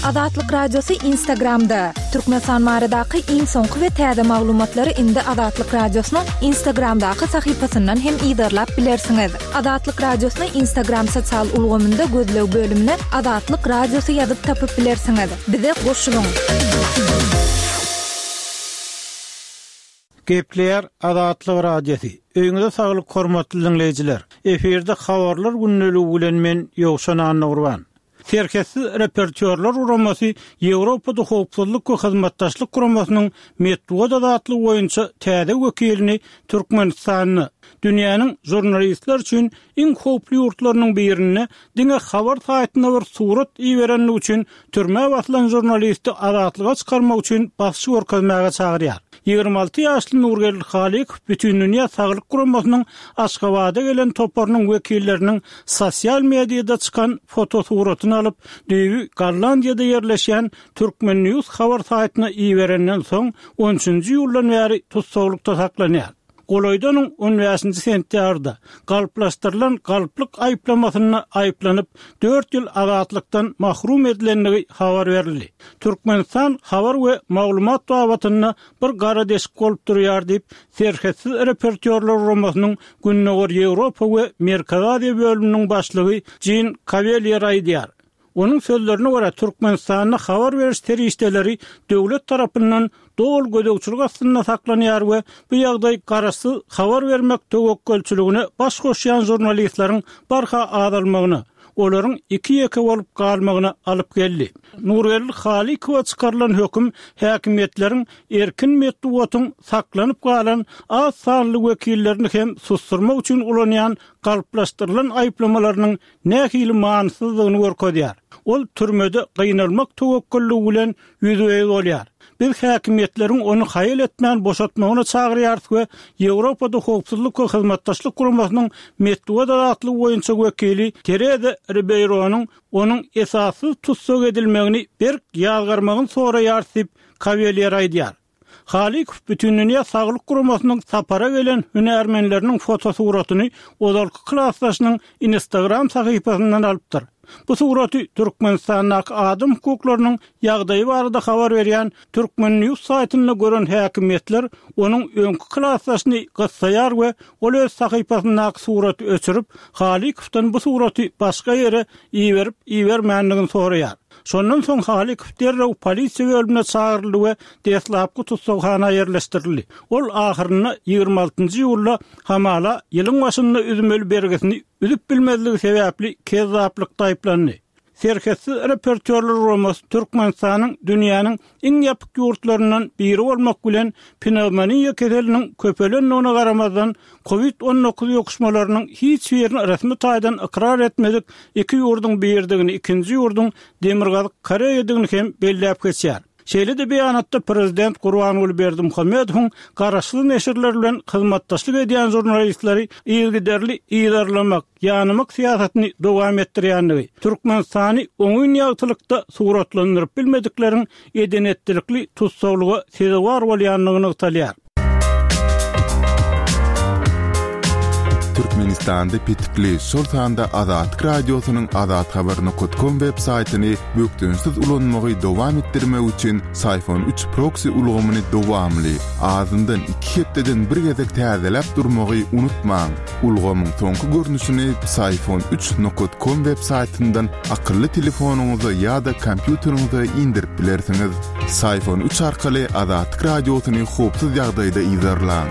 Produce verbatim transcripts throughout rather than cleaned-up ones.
Azatlyk Radiosy Instagramda. Türkmenistan baradaky iň soňky we täze maglumatlary indi Azatlyk Radiosynyň Instagramdaky sahypasyndan hem yzarlap bilersiňiz. Azatlyk Radiosyny Instagram sosial ulgamynda gözleg bölümine Azatlyk Radiosy ýazyp tapyp bilersiňiz. Bize goşulyň. Gepleýär Azatlyk Radiosy. Öýüňize saglyk hormatly dinleýjiler. Efirde habarlar gündeligi bilen men Ýowşan Annagurban. Serhetsiz repertuarlar guramasy Ýewropada howpsuzlyk we hyzmatdaşlyk guramasynyň metbugat azatlygy boýunça täze wekilini Türkmenistanda dünýäniň žurnalistler üçin iň howply ýurtlarynyň birinde diňe habar saýtyna bir surat iberenligi üçin türmä basylan žurnalisti azatlyga çykarmak üçin basyş görkezmäge çagyrýar. Ýigrimi alty ýaşly Nurgeldi Halykow Bütindünýä Saglyk Guramasynyň Aşgabada gelen toparynyň wekilleriniň sosial mediada çykan fotosuratyny alyp, düýbi Gollandiýada ýerleşýän Türkmen News habar saýtyna iberenden soň on üçünji iýuldan bäri tussaglykda saklanýar. Golaýdanyň on bäşinji sentýabrda galplaşdyrylan galplyk aýyplamasynda aýyplanyp, dört ýyl azatlykdan mahrum edilendigi habar berildi. Türkmenistan habar we maglumat babatynda bir gara deşik bolup durýar diýip, Serhetsiz repertuarlar guramasynyň Gündogar Ýewropa we Merkezi Aziýa bölüminiň başlygy Jean Cavalier aýdýar. Onuň sözlerine görä, Türkmenistanda habar beriş serişdeleri döwlet tarapyndan doly gözegçilik astynda saklanýar we bu ýagdaý garaşsyz habar bermek töwekgelçiligine baş goşýan žurnalistleriň barha azalmagyna, olaryň iki-ýeke bolup galmagyna alyp geldi. Nurgeldi Halykowa çykarylan höküm häkimiýetleriň erkin metbugatyň saklanyp galan az sanly wekillerini hem susturmak üçin ulanýan galplaşdyrylan aýyplamalarynyň nähili manysyzdygyny görkezýär. Ol türmede gynalmak töwekgelligi bilen ýüzbe-ýüz bolýar. Biz häkimiýetleriň ony haýal etmän boşatmagyna çagyrýarys we Ýewropada howpsuzlyk we hyzmatdaşlyk guramasynyň metbugat azatlygy boýunça wekili Tereza Ribeýronyň onuň esassyz tussag edilmegini berk ýazgarmagyny soraýarys diýip, Kawelýer aýdýar. Halykow Bütindünýä Saglyk Guramasynyň sapara gelen hünärmenleriniň fotosuratyny ozalky klasdaşynyň Instagram sahypasyndan alypdyr. Bu suraty Türkmenistandaky adam hukuklarynyň ýagdaýy barada habar berýän Türkmen News saýtynda gören häkimiýetler onuň öňki klasdaşyny gyssaýar we ol öz sahypasyndaky suraty öçürip, Halykowdan bu suraty başga ýere iberip ibermändigini soraýar. Şondan soň Halykow derrew polisiýa bölümine çagyryldy we deslapky tussaghana ýerleşdirildi. Ol ahyrynda ýigrimi altynjy iýulda hamala ýylyň başynda üzmeli bergisini üzüp bilmezligi sebäpli kezzaplykda aýyplandy. Serhetsiz repertuarlar guramasy Türkmenistanyň dünýäniň iň ýapyk ýurtlaryndan biri bolmak bilen pnewmoniýa keseliniň köpelendigine garamazdan kovid on dokuz ýokuşmalarynyň hiç birini resmi taýdan ykrar etmedik iki ýurduň biridigini, ikinji ýurduň Demirgazyk Koreýadygyny hem belläp geçýär. Şeýle-de beýanatda prezident Gurbanguly Berdimuhamedowyň garaşsyz neşirler bilen hyzmatdaşlyk edýän žurnalistleri yzygiderli yzarlamak, ýanymak syýasatyny dowam etdirýändigi, Türkmenistany oňyn ýagtylykda suratlandyryp bilmedikleriň edenetdilikli tussaglyga sezewar bolýandygy nygtalýar. Türkmenistanda petikli, şol sanda Azatlyk Radiosynyň azathabar nokta com web saýtyny bökdençsiz ulanmagy dowam etdirmek üçin Syfon üç proksi ulgamyny dowamly, azyndan iki hepdeden bir gezek täzeläp durmagy unutmaň. Ulgamyň soňky görnüşini Syfon üç nokta com web saýtyndan akylly telefonyňyza ýa-da kompýuteriňize indirip bilersiňiz. Syfon üç arkaly Azatlyk Radiosyny howpsuz ýagdaýda yzarlaň.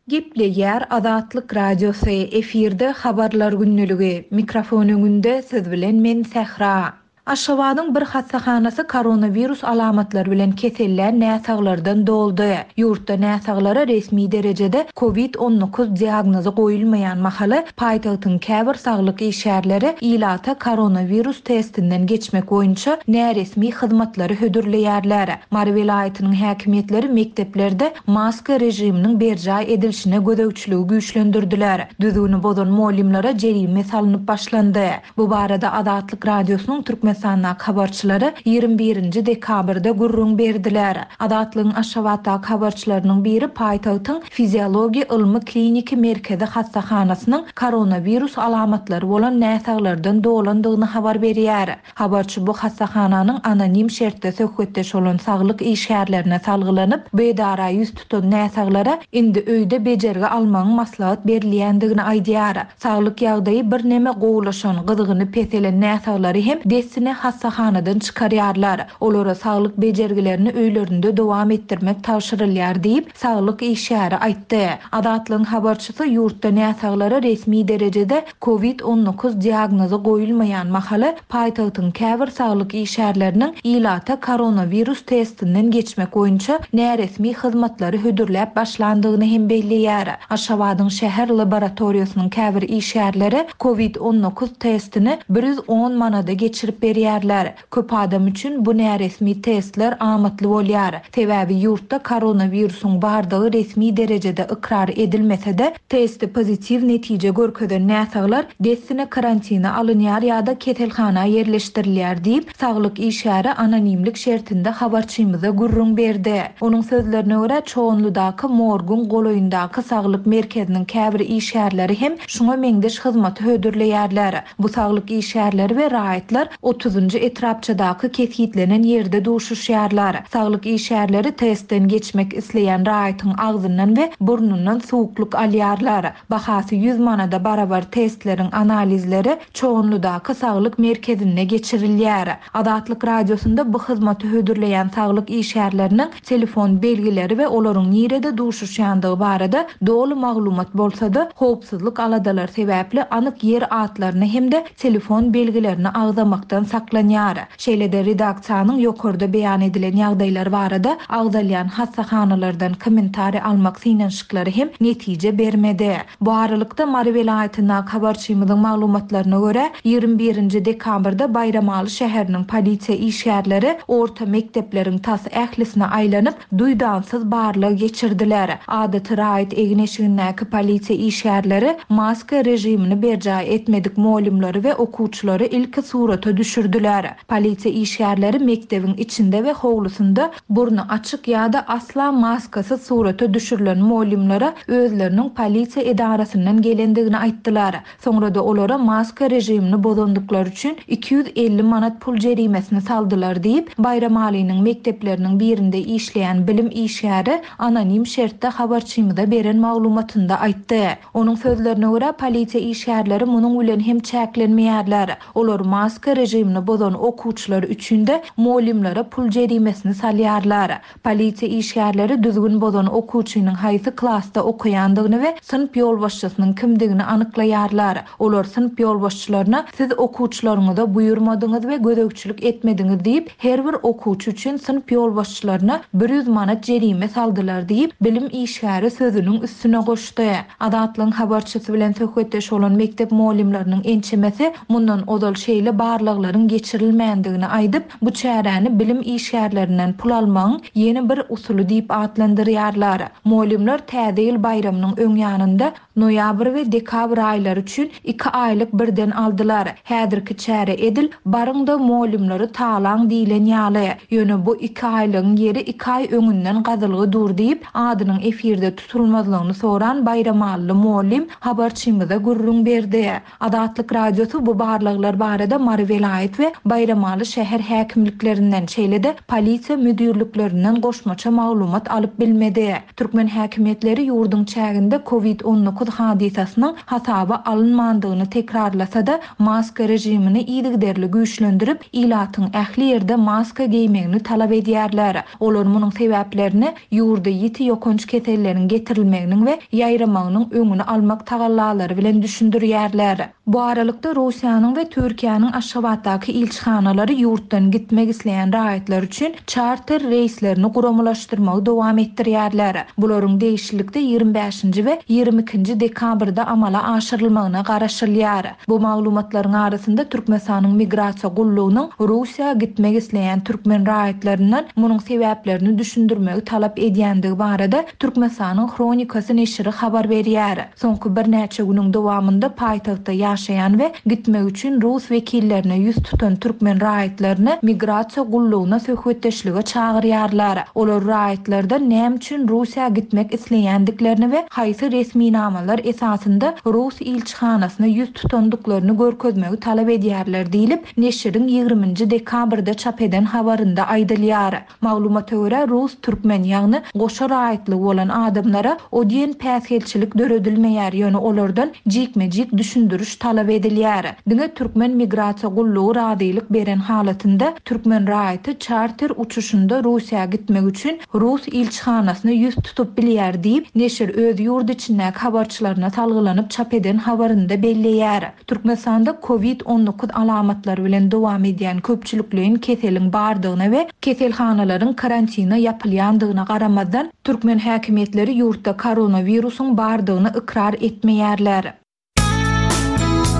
Gepleýär Azatlyk Radiosy, efirde habarlar günlügi, mikrofon öňünde siz bilen men Sähra. Aşgabadyň bir hassahanasy koronawirus alamatlary bilen kesellän näsaglardan doldy. Ýurtda näsaglara resmi derejede kovid on dokuz diagnozy goýulmaýan mahaly paýtagtyň käbir saglyk işgärleri ilata koronawirus testinden geçmek boýunça näresmi hyzmatlary hödürleýärler. Mary welaýatynyň häkimiýetleri mekdeplerde maska rejiminiň berjaý edilişine gözegçiligi güýçlendirdiler. Düzgüni bozan mugallymlara jerime salynyp başlandy. Bu barada Azatlyk Radiosynyň Türkmenistan Türkmenistandaky habarçylary ýigrimi birinji dekabrda gürrüň berdiler. Azatlygyň Aşgabatdaky habarçylarynyň biri paýtagtyň Fiziologiýa ylmy-kliniki merkezi hassahanasynyň koronawirus alamatlary bolan näsaglardan dolandygyny habar berýär. Habarçy bu hassahananyň anonim şertde söhbetdeş bolan saglyk işgärlerine salgylanyp, bu edara ýüz tutan näsaglara indi öýde bejergi almagyň maslahat berilýändigini aýdýar. Saglyk ýagdaýy birneme gowulaşan, gyzgyny peselen näsaglary hem dessine hassahanadan çykarýarlar. Olara saglyk bejergilerini öýlerinde dowam etdirmek tabşyrylýar diýip, saglyk işgäri aýtdy. Azatlygyň habarçysy ýurtda näsaglara resmi derejede covid on dokuz diagnozy goýulmaýan mahaly paýtagtyň käbir saglyk işgärleriniň ilata koronawirus testinden geçmek boýunça näresmi hyzmatlary hödürläp başlandygyny hem belleýär. Aşgabadyň şäher laboratoriýasynyň käbir işgärleri covid on dokuz testini bir ýüz on manada geçirip berýärler. Köp adam üçin bu näresmi testler amatly bolýar. Sebäbi ýurtda koronawirusyň bardygy resmi derejede ykrar edilmese-de, testi pozitiw netije görkezen näsaglar dessine karantina alynýar ýa-da keselhana ýerleşdirilýär diýip, saglyk işgäri anonimlik şertinde habarçymyza gürrüň berdi. Onuň sözlerine görä, Çoganlydaky morguň golaýyndaky saglyk merkeziniň käbir işgärleri hem şuňa meňzeş hyzmaty hödürleýärler. Bu saglyk işgärleri we raýatlar otuzynjy etrapçadaky kesgitlenen ýerde duşuşýarlar. Saglyk işgärleri testden geçmek isleýän raýatyň agzyndan we burnundan suwuklyk alýarlar. Bahasy ýüz manada barabar testleriň analizleri Çoganlydaky saglyk merkezinde geçirilýär. Azatlyk radiosynda bu hyzmaty hödürleýän saglyk işgärleriniň telefon belgileri we olaryň nirede duşuşýandygy barada doly maglumat bolsa-da, howpsuzlyk aladalary sebäpli anyk ýer atlaryny hem-de telefon belgilerini agzamakdan saklanýar. Şeýle-de redaksiýanyň ýokarda beýan edilen ýagdaýlar barada agzalýan hassahanalardan kommentariý almak synanyşyklary hem netije bermedi. Bu aralykda Mary welaýatyndaky habarçymyzyň maglumatlaryna görä, ýigrimi birinji dekabrda Baýramaly şäheriniň polisiýa işgärleri orta mekdepleriň tas ählisine aýlanyp, duýdansyz barlag geçirdiler. Adaty raýat egin-eşigindäki polisiýa işgärleri maska rejimini berjaý etmedik mugallymlary we okuwçylary ilki surata düşürdiler. Polisiýa işgärleri mekdebiň içinde we howlusynda burny açyk ýa-da asla maskasyz surata düşürilen mugallymlara özleriniň polisiýa edarasyndan gelendigini aýtdylar. Soňra da olara maska rejimini bozandyklary üçin iki ýüz elli manat pul jerimesini saldylar diýip, Baýramalynyň mekdepleriniň birinde işleýän bilim işgäri anonim şertde habarçymyza beren maglumatynda aýtdy. Onuň sözlerine görä, polisiýa işgärleri munuň bilen hem çäklenmeýärler. Olar maska rejimini bozan okuwçylar üçin de mugallymlara pul jerimesini salýarlar. Polisiýa işgärleri düzgün bozan okuwçynyň haýsy klasda okaýandygyny we synp ýolbaşçysynyň kimdigini anyklaýarlar. Olar synp ýolbaşçylaryna siz okuwçylaryňyza buýurmadyňyz we gözegçilik etmediňiz diýip, her bir okuwçy üçin synp ýolbaşçylaryna bir ýüz manat jerime saldylar diýip, bilim işgäri sözüniň üstüne goşdy. Azatlygyň habarçysy bilen söhbetdeş bolan mekdep mugallymlarynyň ençemesi mundan ozal şeýle barlaglaryň geçirilmändigini aýdyp, bu çäräni bilim işgärlerinden pul almagyň ýene bir usuly diýip atlandyrýarlar. Mugallymlar täze ýyl baýramynyň öň ýanynda noýabr we dekabr aýlary üçin iki aýlyk birden aldylar. Häzirki çäre edil baryňda mugallymlary talaň diýilen ýaly. Ýöne bu iki aýlygyň ýeri iki aý öňünden gazylgy dur diýip, adynyň efirde tutulmazlygyny soran Baýramaly mugallym habarçymyza gürrüň berdi. Azatlyk radiosy bu barlaglar barada Mary welaýat we Baýramaly şäher häkimliklerinden, şeýle-de polisiýa müdirliklerinden goşmaça maglumat alyp bilmedi. Türkmen häkimiýetleri ýurduň çäginde covid on dokuz hadysasynyň hasaba alynmandygyny tekrarlasa-da, maska rejimini yzygiderli güýçlendirip, ilatyň ähli ýerde maska geýmegini talap edýärler. Olar munuň sebäplerini ýurda ýiti ýokanç keselleriň getirilmeginiň we ýaýramagynyň öňüni almak tagallalary bilen düşündirýärler. Bu aralykda Russiýanyň we Türkiýäniň Aşgabatdaky ilçihanalary ýurtdan gitmek isleýän raýatlar üçin çarter reýslerini guramalaşdyrmagy dowam etdirýärler. Bularyň degişlilikde ýigrimi bäşinji we ýigrimi ikinji dekabrda amala aşyrylmagyna garaşylýar. Bu maglumatlaryň arasynda Türkmenistanyň migrasiýa gullugynyň Russiýa gitmek isleýän türkmen raýatlaryndan munuň sebäplerini düşündirmegi talap edýändigi barada Türkmenistanyň Hronikasy neşiri habar berýär. Soňky birnäçe günüň dowamynda paýtagtda ýaşaýan we gitmek üçin rus wekillerine ýüz ýüz tutan türkmen raýatlaryny migrasiýa gullugyna söhbetdeşlige çagyrýarlar. Olar raýatlardan näme üçin Russiýa gitmek isleýändiklerini we haýsy resminamalar esasynda rus ilçihanasyna ýüz tutandyklaryny görkezmegi talap edýärler diýlip, neşiriň ýigriminji dekabrda çap eden habarynda aýdylýar. Maglumata görä, rus türkmen, ýagny goşa raýatlygy bolan adamlara o diýen päsgelçilik döredilmeýär, ýöne olardan jikme-jik düşündiriş talap edilýär. Diňe türkmen migrasiýa gullugy razylyk beren halatynda türkmen raýaty çarter uçuşynda Russiýa gitmek üçin rus ilçihanasyna ýüz tutup bilýär diýip, neşir öz ýurt içindäki habarçylaryna salgylanyp çap eden habarynda belleýär. Türkmenistanda covid on dokuz alamatlary bilen dowam edýän köpçülikleýin keseliň bardygyna we keselhanalaryň karantina ýapylýandygyna garamazdan, türkmen häkimiýetleri ýurtda koronawirusyň bardygyny ykrar etmeýärler.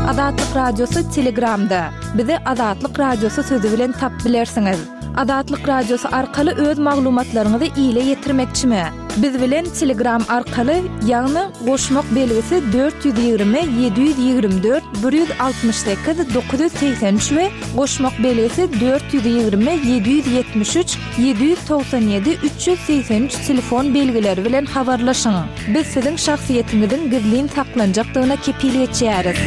Azatlyk Radiosy Telegramda. Bizi Azatlyk Radiosy sözi bilen tap bilersiňiz. Azatlyk Radiosy arkaly öz maglumatlaryňyzy ile ýetirmekçimi? Biz bilen Telegram arkaly, ýagny goşmak belgisi dört ýüz ýigrimi, ýedi ýüz ýigrimi dört, bir ýüz altmyş sekiz, dokuz ýüz segsen üç we goşmak belgisi dört ýüz ýigrimi, ýedi ýüz ýetmiş üç, ýedi ýüz togsan ýedi, üç ýüz segsen üç telefon belgileri bilen habarlaşyň. Biz siziň şahsyýetiňiziň gizlin saklanjakdygyna kepil geçýäris.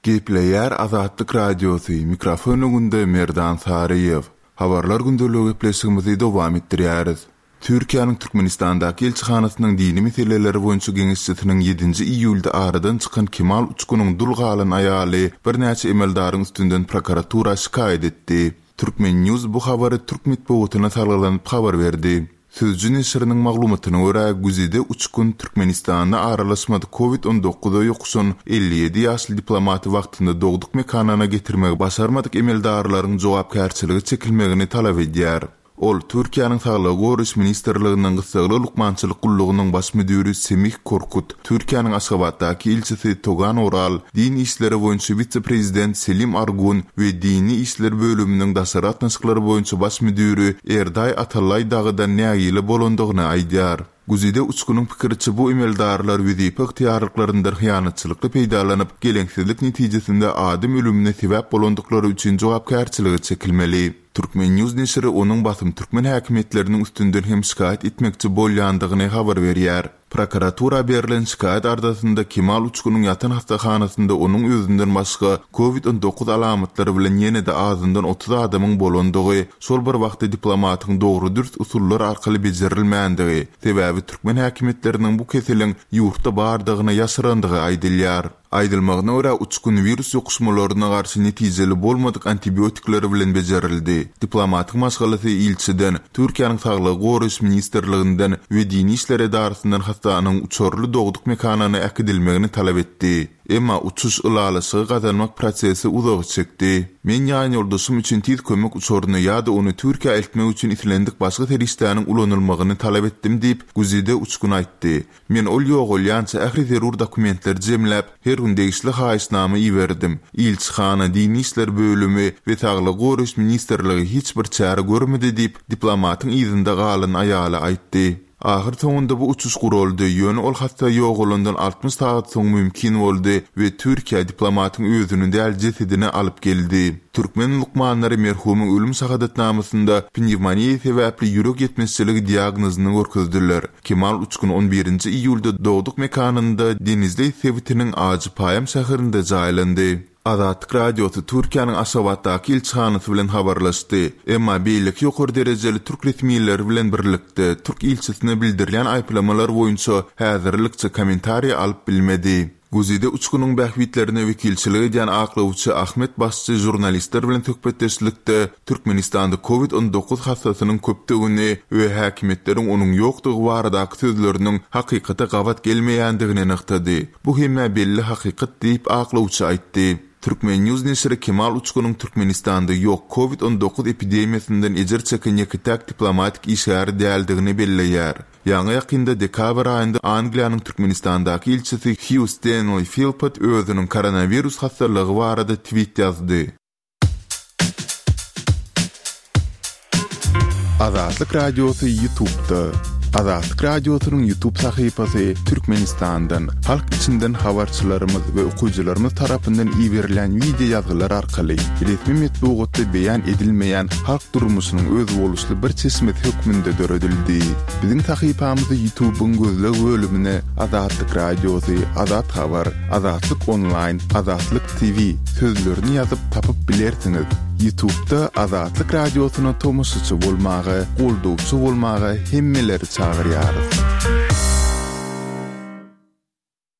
Gepleýär Azatlyk Radiosy, mikrofon öňünde Merdan Saryýew. Habarlar gündeligi gepleşigimizi dowam etdirýäris. Türkiýäniň Türkmenistandaky ilçihanasynyň dini meseleleri boýunça geňeşçisiniň ýedinji iýulda aradan çykan Kemal Uçkunyň dul galan aýaly birnäçe emeldaryň üstünden prokuratura şikaýat etdi. Türkmen News bu habary türk metbugatyna salgylanyp habar berdi. Sözcü neşiriniň maglumatyna görä, Güzide Uçkun Türkmenistanda aralaşmadyk covid on dokuza ýokuşan elli ýedi ýaşly diplomaty wagtynda dogduk mekanyna getirmegi başarmadyk emeldarlaryň jogapkärçiligi çekilmegini talap edýär. Ol Türkiýäniň Saglygy Goraýyş Ministrliginiň gyssagly lukmançylyk gullugynyň baş müdiri Semih Korkut, Türkiýäniň Aşgabatdaky ilçisi Togan Oral, din işleri boýunça wise-prezident Selim Argun we dini işler bölüminiň daşary gatnaşyklary boýunça baş müdiri Erdaý Atallaý dagydan nägile bolandygyny aýdýar. Güzide Uçkunyň pikiriçe bu emeldarlar wezipe ygtyýarlyklaryndan hyýanatçylykly peýdalanyp, geleňsizlik netijesinde adam ölümine sebäp bolandyklary üçin jogapkärçiligi çekilmeli. Türkmen News neşiri onuň basym türkmen häkimiýetleriniň üstünden hem şikaýat etmekçi bolýandygyny habar berýär. Prokuratura berlen şikaýat ardasynda Kemal Uçkunyň ýatan hastahanasynda onuň özünden başga covid on dokuz alamatlary bilen ýene-de azyndan otuz adamyň bolandygy, şol bir wagtda diplomatyň dogry dürs usullar arkaly bejerilmändigi, sebäbi türkmen häkimiýetleriniň bu keseliň ýurtda bardygyny ýaşyrandygy aýdylýar. Aýdylmagyna görä, Uçkun wirus ýokuşmalaryna garşy netijeli bolmadyk antibiotikleri bilen bejerildi. Diplomatyň maşgalasy ilçiden, Türkiýäniň Saglygy Goraýyş Ministrliginden we Dini işler edarasyndan hastanyň uçarly dogduk mekanyna äkidilmegini talap etdi. Emma uçuş ylalaşygy gazanmak prosesi uzaga çekdi. Men ýan ýoldaşym üçin tiz kömek uçaryny ýa-da ony Türkiýä eltmek üçin islendik başga serişdäniň ulanylmagyny talap etdim diýip, Güzide Uçkun aýtdy. Men ol ýogalýança ähli zerur dokumentleri jemläp, her gün degişli haýyşnama iberdim. Ilçihana, Dini işler bölümi we Saglygy Goraýyş Ministrligi hiç bir çäre görmedi diýip, diplomatyň yzynda galan aýaly aýtdy. Ahyr soňunda bu uçuş guraldy, ýöne ol hasta ýogalandan altmyş sagat soň mümkin boldy we Türkiýe diplomatyň özüni däl jesedini alyp geldi. Türkmen lukmanlary merhumyň ölüm şahadatnamasynda pnevmoniýa sebäpli ýürek ýetmezçiligi diagnozyny görkezdiler. Kemal Uçkun on birinji iýulda dogduk mekanynda Denizli sebitiniň Ajypaýam şäherinde jaýlandy. Azatlyk Radiosy Türkiýäniň Aşgabatdaky ilçihanasy bilen habarlaşdy. Emma beýleki ýokary derejeli türk resmileri bilen birlikde türk ilçisine bildirilýän aýyplamalar boýunça häzirlikçe kommentariýa alyp bilmedi. Güzide Uçkunyň bähbitlerine wekilçilik edýän aklawçy Ahmet Başçy žurnalistler bilen söhbetdeşlikde Türkmenistanda covid on dokuz hassasynyň köpdügini we häkimiýetleriň onuň ýokdugy baradaky sözleriniň hakykata gabat gelmeýändigini nygtady. Bu hemmä belli hakykat diýip aklawçy aýtdy. Türkmen News neşiri Kemal Uçkunyň Türkmenistanda ýok covid on dokuz epidemiýasyndan ejir çeken ýeke-täk diplomatik işgäri däldigini belleýär. Ýaňy ýakynda dekabr aýynda Angliýanyň Türkmenistandaky ilçisi Hugh Stanley Philpott özüniň koronawirus hastalygy barada tweet ýazdy. Azatlyk Radiosy YouTube'da. Azatlyk Radiosynyň YouTube sahypasy Türkmenistandan, halk içinden habarçylarymyz we okyjylarymyz tarapyndan iberilen wideo ýazgylar arkaly resmi metbugatda beýan edilmeýän halk durmuşynyň özboluşly bir çeşmesi hökmünde döredildi. Biziň sahypamyzy YouTube'yň gözleg bölümine Azatlyk Radiosy, Azat Habar, Azatlyk Online, Azatlyk T V sözlerini ýazyp tapyp bilersiňiz. YouTube'da Azatlyk Radiosyna tomaşaçy bolmaga, goldawçy bolmaga hemmeleri çagyrýarys.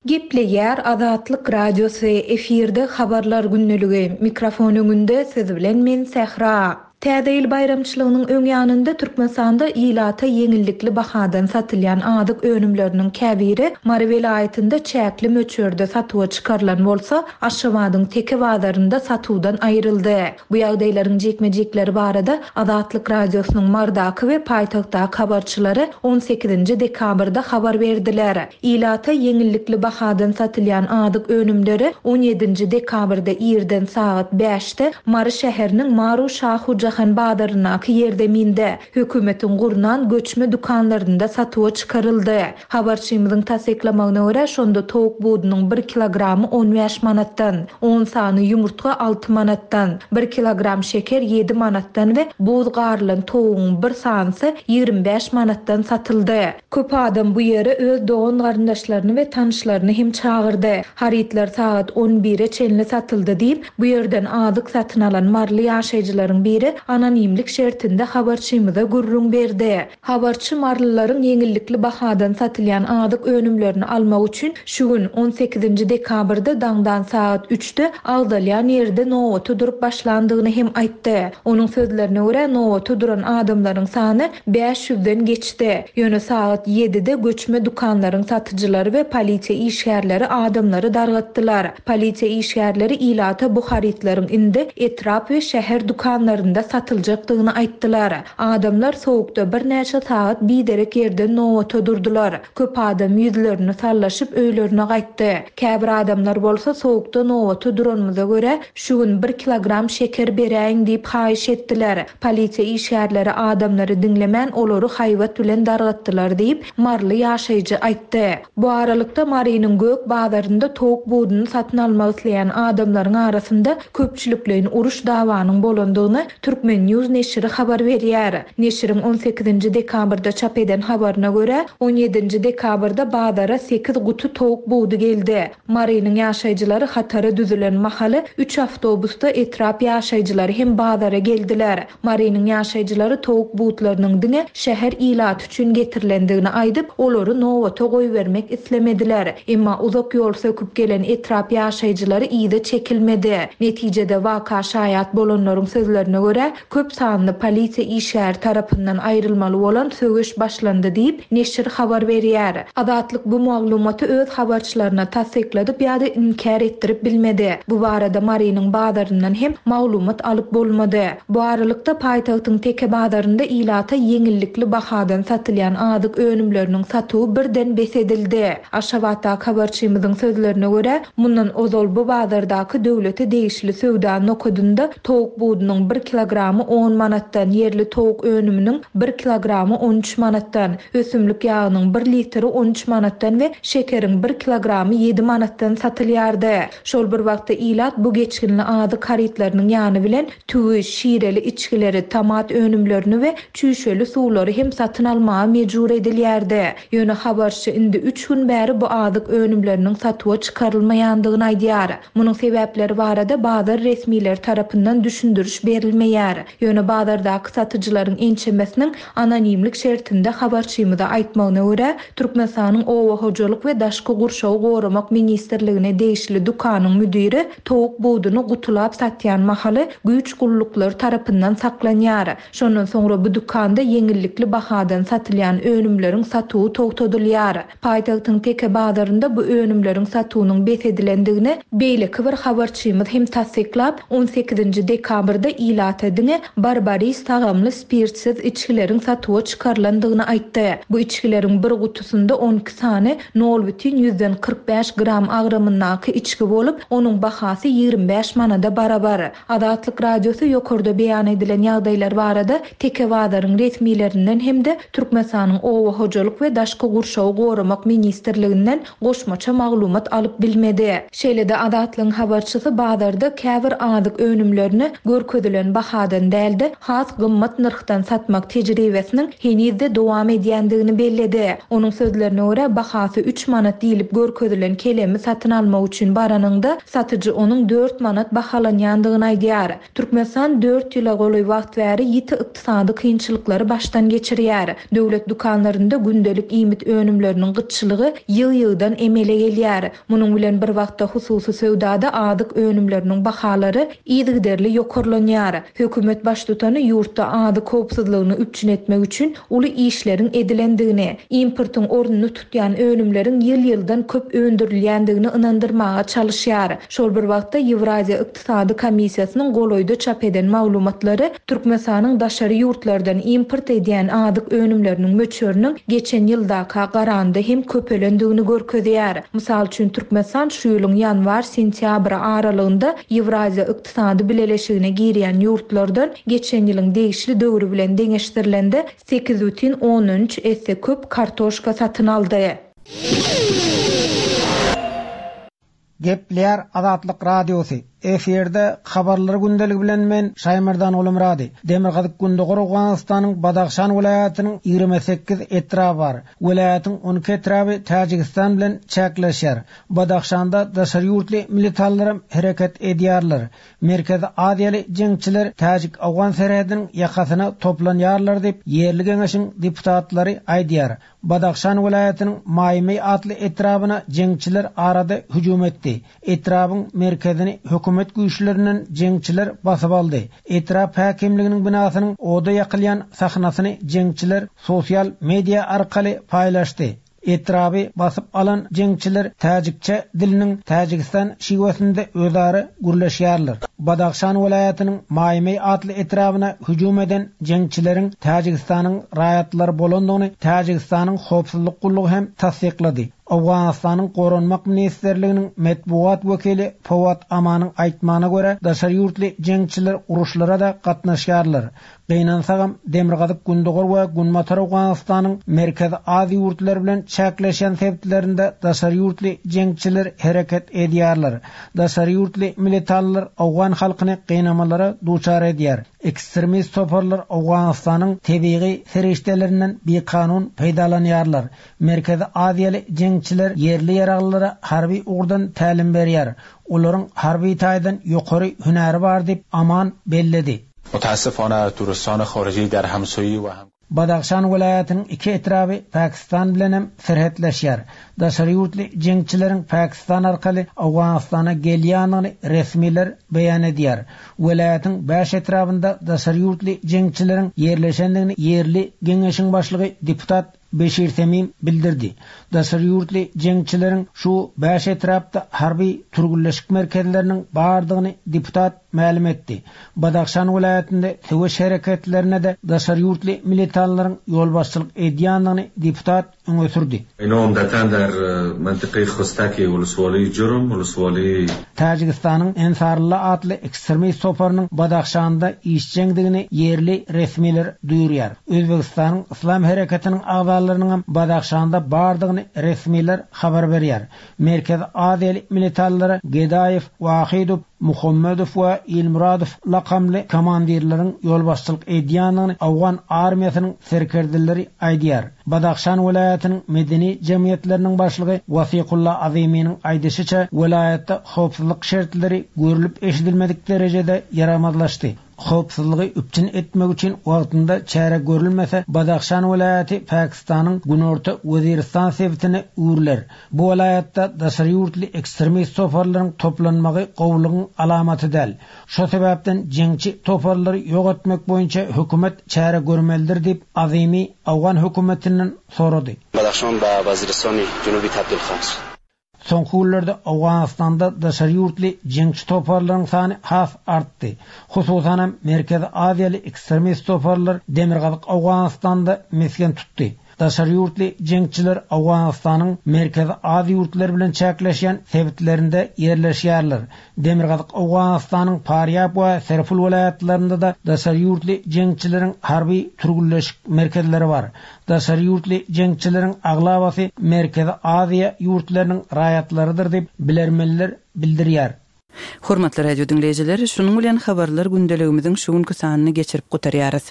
Gepleýär Azatlyk Radiosy, efirde habarlar gündeligi. Mikrofon öňünde siz bilen men Sähra. Täze ýyl baýramçylygynyň öň ýanynda Türkmenistanda ilata ýeňillikli bahadan satylýan azyk önümleriniň käbiri Mary welaýatynda çäkli möçberde satuwa çykarylan bolsa, Aşgabadyň Teke bazarynda satuwdan aýryldy. Bu ýagdaýlaryň jikme-jikleri barada Azatlyk Radiosynyň Mardaky we paýtagtdaky habarçylary on sekizinji dekabrda habar berdiler. Ilata ýeňillikli bahadan satylýan azyk önümleri on ýedinji dekabrda irden sagat bäşde Mary şäheriniň Maru Şahu Jahan bazaryndaky ýerzeminde hökümetiň gurnan göçme dükanlarynda satuwa çykaryldy. Habarçymyzyň tassyklamagyna görä, şonda towuk budunyň bir kilogramy on bäş manatdan, on sany ýumurtga alty manatdan, bir kilogram şeker ýedi manatdan we buz garylan towugyň bir sanysy ýigrimi bäş manatdan satyldy. Köp adam bu ýere öz dogan garyndaşlaryny we tanyşlaryny hem çagyrdy. Harytlar sagat on bire çenli satyldy diýip, bu ýerden azyk satyn alan marly ýaşaýjylaryň biri anonimlik şertinde habarçymyza gürrüň berdi. Habarçy marlylaryň ýeňillikli bahadan satylýan azyk önümlerini almak üçin şu gün on sekizinji dekabrda daňdan sagat üçde agzalýan ýerde nobata durup başlandygyny hem aýtdy. Onuň sözlerine görä, nobata duran adamlaryň sany bäş ýüzden geçdi. Ýöne sagat ýedide göçme dükanlaryň satyjylary we polisiýa işgärleri adamlary dargatdylar. Polisiýa işgärleri ilata bu harytlaryň indi etrap we şäher dükanlarynda satyljakdygyny aýtdylar. Adamlar soğukda birnäçe sagat biderek ýerden nobata durdular. Köp adam ýüzlerini sallaşyp öýlerine gaýtdy. Käbir adamlar bolsa soğukda nobata duranymyza görä şu gün bir kilogram şeker beräýiň diýip haýyş etdiler. Polisiýa işgärleri adamlary diňlemän olary haýbat bilen dargatdylar diýip Marly ýaşaýjy aýtdy. Bu aralykda Marynyň gök bazarynda towuk buduny satyn almak isleýän adamlaryň arasynda köpçülikleýin uruş dawanyň bolandygyny Türkmen News neşiri habar berýär. Neşiriň on sekizinji dekabrda çap eden habaryna görä, on ýedinji dekabrda bazara sekiz guty towuk budy geldi. Marynyň ýaşaýjylary hatara düzülen mahaly üç awtobusda etrap ýaşaýjylary hem bazara geldiler. Marynyň ýaşaýjylary towuk butlarynyň diňe şäher ilaty üçin getirilendigini aýdyp, olary nobata goýbermek islemediler. Emma uzak ýol söküp gelen etrap ýaşaýjylary ýygy çekilmedi. Netijede waka şaýat bolanlaryň sözlerine görä, köp sanly polisiýa işgäri tarapyndan aýrylmaly bolan söweş başlandy diýip neşir habar berýär. Azatlyk bu maglumaty öz habarçylaryna tassykladyp ýa-da inkär etdirip bilmedi. Bu barada Marynyň bazaryndan hem maglumat alyp bolmady. Bu aralykda paýtagtyň Teke bazarynda ilata ýeňillikli bahadan satylýan azyk önümleriniň satuwy birden bes edildi. Aşgabatdaky habarçymyzyň sözlerine görä, mundan ozal bu bazardaky döwlete degişli söwda nokadynda towuk budunyň bir kilogramy on manatdan, ýerli towuk önüminiň bir kilogramy on üç manatdan, ösümlik ýagynyň bir litri on üç manatdan we şekeriň bir kilogramy ýedi manatdan satylýardy. Şol bir wagtda ilat bu geçginli azyk harytlarynyň ýany bilen tüwi, şireli içgileri, tomat önümlerini we çüýşeli suwlary hem satyn almaga mejbur edilýärdi. Ýöne habarçy indi üç gün bäri bu azyk önümleriniň satuwa çykarylmaýandygyny aýdýar. Munuň sebäpleri barada bazar resmileri tarapyndan düşündiriş berilmeýär. Ýöne bazardaky satyjylaryň ençemesiniň anonimlik şertinde habarçymyza aýtmagyna görä, Türkmenistanyň Oba hojalyk we Daşky gurşawy goramak ministrligine degişli dükanyň müdiri towuk buduny gutulap satýan mahaly güýç gulluklary tarapyndan saklanýar. Şondan soňra bu dükanda ýeňillikli bahadan satylýan önümleriň satuwy togtadylýar. Paýtagtyň Teke bazarynda bu önümleriň satuwynyň bes edilendigini beýleki bir habarçymyz hem tassyklap, on sekizinji dekabrda ilata Söwdasy diňe Barbaris tagamly spirtsiz içgileriň satuwa çykarylandygyny aýtdy. Bu içgileriň bir gutusynda on iki sany nol bütin ýüzden kyrk bäş gram agramyndaky içgi bolup, onuň bahasy ýigrimi bäş manada barabar. Azatlyk Radiosy ýokarda beýan edilen ýagdaýlar barada Teke bazaryň resmilerinden hem-de Türkmenistanyň Oba hojalyk we daşky gurşawy goramak ministrliginden goşmaça maglumat alyp bilmedi. Şeýle-de Azatlygyň habarçysy bazarda käbir azyk önümlerini görkezilen bahadan dälde has gymmat nyrhdan satmak tejribesiniň henizde dowam edýändigini belledi. Onuň sözlerine görä bahasy üç manat diýilip görkezilen kelemi satyn almak üçin baranyňda satyjy onuň dört manat bahalanýandygyny aýdýar. Türkmenistan dört ýyla golaý wagt bäri ýiti ykdysady kynçylyklary başdan geçirýär. Döwlet dükanlarynda gündelik iýmit önümleriniň gytçylygy ýyl-ýyldan emele gelýär. Munuň bilen bir wagtda hususy söwdada azyk önümleriniň bahalary yzygiderli ýokarlanýar. Hökümet baştutany ýurtda azyk howpsuzlygyny üpjün etmek üçin uly işleriň edilendigini, importyň ornuny tutýan önümleriň ýyl-ýyldan köp öndürilýändigini ynandyrmaga çalışýar. Şol bir wagtda Ýewraziýa Ykdysady Komissiýasynyň golaýda çap eden maglumatlary Türkmenistanyň daşary ýurtlardan import edýän azyk önümleriniň möçberiniň geçen ýyldaka garanda hem köpelendigini görkezýär. Mysal üçin Türkmenistan şu ýylyň ýanwar-sentýabr aralygynda Ýewraziýa Ykdysady Bileleşigine girýän ýurtlardan geçen ýylyň degişli döwri bilen deňeşdirilende sekiz bütin ondan üç esse köp kartoşka satyn aldy. Gepleýär Azatlyk Radiosy. Efirde habarlar gündeligi bilen men Şaýmerdan Gulumrady. Demirgazyk Gündogar Owganystanyň Badahşan welaýatynyň ýigrimi sekiz etraby bar. Welaýatyň on iki etraby Täjigistan bilen çäkleşýär. Badahşanda daşary ýurtly militarlar hereket edýärler. Merkezi Aziýaly jeňçiler Täjik-Awgan serhediniň ýakasyna toplanýarlar diýip ýerli geňeşiň deputatlary aýdýar. Badahşan welaýatynyň Maýmy atly etrabyna jeňçiler arada hüjüm etdi. Etrabyň merkezini hökümet güýçlerinden jeňçiler basyp aldy. Etrap häkimliginiň binasynyň oda ýakylýan sahnasyny jeňçiler sosial media arkaly paýlaşdy. Etraby basyp alan jeňçiler täjikçe diliniň Täjigistan şiwesinde özara gürleşýärler. Badahşan welaýatynyň Maýmy atly etrabyna hüjüm eden jeňçileriň Täjigistanyň raýatlary bolandygyny Täjigistanyň howpsuzlyk gullugy hem tassyklady. Owganystanyň Goranmak Ministrliginiň metbugat wekili Fawad Amanyň aýtmagyna görä, daşary ýurtly jeňçiler uruşlara da gatnaşýarlar. Gynansagam Demirgazyk Gündogar we Günbatar Owganystanyň Merkezi Aziýa ýurtlary bilen çäkleşen sebitlerinde daşary ýurtly jeňçiler hereket edýärler. Daşary ýurtly militarlar Owgan halkyny gynamalara duçar edýär. Ekstremist toparlar Owganystanyň tebigy serişdelerinden bikanun peýdalanýarlar. Merkezi Aziýaly jeňçiler ýerli ýaraglylara harby ugurdan tälim berýär. Olaryň harby taýdan ýokary hünäri bar diýip Aman belledi. Mutassifona turistona xorijiy dar hamsoyi va ham Badahşan welaýatynyň iki etraby Pakistan bilen hem serhetleşýär. Daşary ýurtly jeňçileriň Pakistan arkaly Owganystana gelýändigini resmiler beýan edýär. Welaýatyň bäş etrabynda daşary ýurtly jeňçileriň ýerleşendigini ýerli geňeşiň başlygy deputat Beşir Semim bildirdi. Daşary ýurtly jeňçileriň şu bäş etrapda harby türgünleşik merkezleriniň bardygyny deputat mälim etdi. Badahşan welaýatynda söweş hereketlerine de daşary ýurtly militarlaryň ýolbaşçylyk edýändigini deputat öňe sürdi. Ina umdatan dar mantiqi Xostaki uluswali Jurum uluswali Täjigistanyň Ensarullah atly ekstremist toparynyň Badahşanda işjeňdigini ýerli resmiler duýurýar. Özbegistanyň Islam hereketiniň agzalarynyň hem Badahşanda bardygyny resmiler habar berýär. Merkezi Aziýaly militarlara Gedaýew, Wahidow, Muhammedow we Ilmuradow lakamly komandirleriň ýolbaşçylyk edýändigini Awgan armiýasynyň serkerdeleri aýdýar. Badahşan welaýatynyň medeni jemgyýetleriniň başlygy Wasikullah Aziminiň aýdyşyça welaýatda howpsuzlyk şertleri görülip eşidilmedik derejede ýaramazlaşdy. Howpsuzlygy üpjün etmek üçin wagtynda çäre görülmese Badahşan welaýaty Pakistanyň Günorta Weziristan sebitine öwrüler. Bu welaýatda daşary ýurtly ekstremist toparlaryň toplanmagy gowulygyň alamaty däl. Şo sebäpden jeňçi toparlary ýok etmek boýunça hökümet çäre görmelidir diýip Azimi Awgan hökümetinden sorady. Badahşan ba Weziristani Junubi tabdil khas. Soňky günlerde Owganystanda daşary ýurtly jeňçi toparlaryň sany has artdy. Hususanam Merkezi Aziýaly ekstremist toparlar Demirgazyk Owganystanda mesgen tutdy. Daşary ýurtly jeňçiler Owganystanyň Merkezi Aziýa ýurtlary bilen çäkleşýän sebitlerinde ýerleşýärler. Demirgazyk Owganystanyň Parýab we Serpul welaýatlarynda-da daşary ýurtly jeňçileriň harby türgünleşik merkezleri bar. Daşary ýurtly jeňçileriň aglabasy Merkezi Aziýa ýurtlarynyň raýatlarydyr diýip bilermenler bildirýär. Hormatly radio diňleýjiler, şunuň bilen habarlar gündeligimiziň şu günki sanyny geçirip gutarýarys.